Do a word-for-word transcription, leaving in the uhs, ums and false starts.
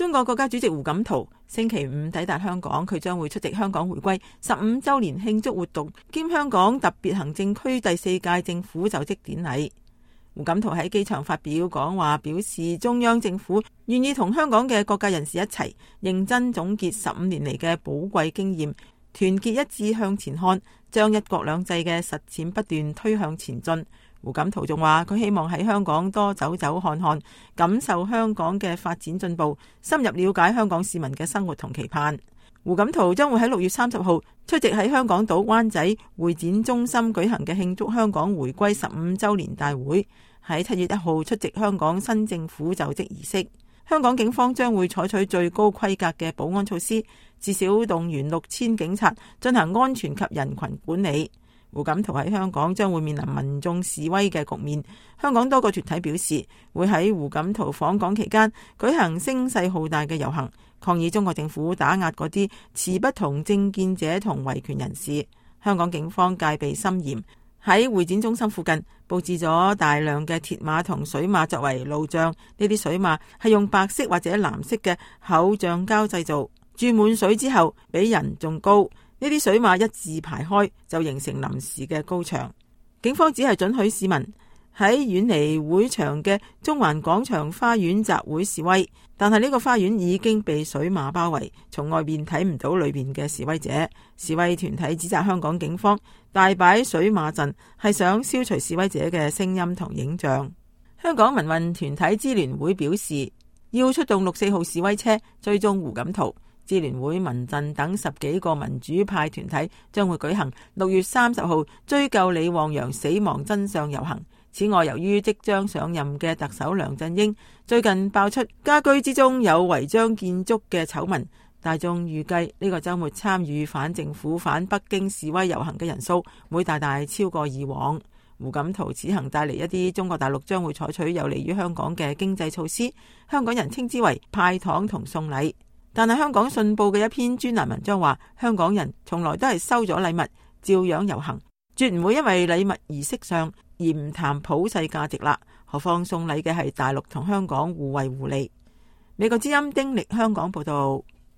中國國家主席胡錦濤星期五抵達香港，佢將會出席香港回歸十五週年慶祝活動兼香港特別行政區第四屆政府就職典禮。胡錦濤喺機場發表講話，表示中央政府願意同香港嘅各界人士一齊認真總結十五年嚟嘅寶貴經驗，團結一致向前看，將一國兩制嘅實踐不斷推向前進。胡錦濤仲話，佢希望喺香港多走走看看，感受香港嘅發展進步，深入了解香港市民嘅生活同期盼。胡錦濤將會喺六月三十號出席喺香港島灣仔會展中心舉行嘅慶祝香港回歸十五週年大會，喺七月一號出席香港新政府就職儀式。香港警方將會採取最高規格嘅保安措施，至少動員六千警察進行安全及人群管理。胡錦濤喺香港將會面臨民眾示威嘅局面。香港多個團體表示，會喺胡錦濤訪港期間舉行聲勢浩大嘅遊行，抗議中國政府打壓嗰啲持不同政見者同維權人士。香港警方戒備森嚴，喺會展中心附近佈置咗大量嘅鐵馬同水馬作為路障。呢啲水馬係用白色或者藍色嘅厚橡膠製造，注滿水之後比人仲高。呢啲水馬一字排開，就形成臨時嘅高牆。警方只係准許市民喺遠離會場嘅中環廣場花園集會示威，但係呢個花園已經被水馬包圍，從外面睇唔到裏面嘅示威者。示威團體指責香港警方大擺水馬陣，係想消除示威者嘅聲音同影像。香港民運團體支聯會表示，要出動六四號示威車追蹤胡錦濤。支聯會、民陣等十幾個民主派團體將會舉行六月三十號追究李旺陽死亡真相遊行。此外，由於即將上任嘅特首梁振英最近爆出家居之中有違章建築嘅醜聞，大眾預計呢個週末參與反政府、反北京示威遊行嘅人數會大大超過以往。胡錦濤此行帶嚟一啲中國大陸將會採取有利於香港嘅經濟措施，香港人稱之為派糖同送禮。但係香港信報嘅一篇專欄文章話，香港人從來都係收咗禮物照樣遊行，絕唔會因為禮物儀式上而唔談普世價值啦。何況送禮嘅係大陸同香港互惠互利。美國之音丁力香港報道。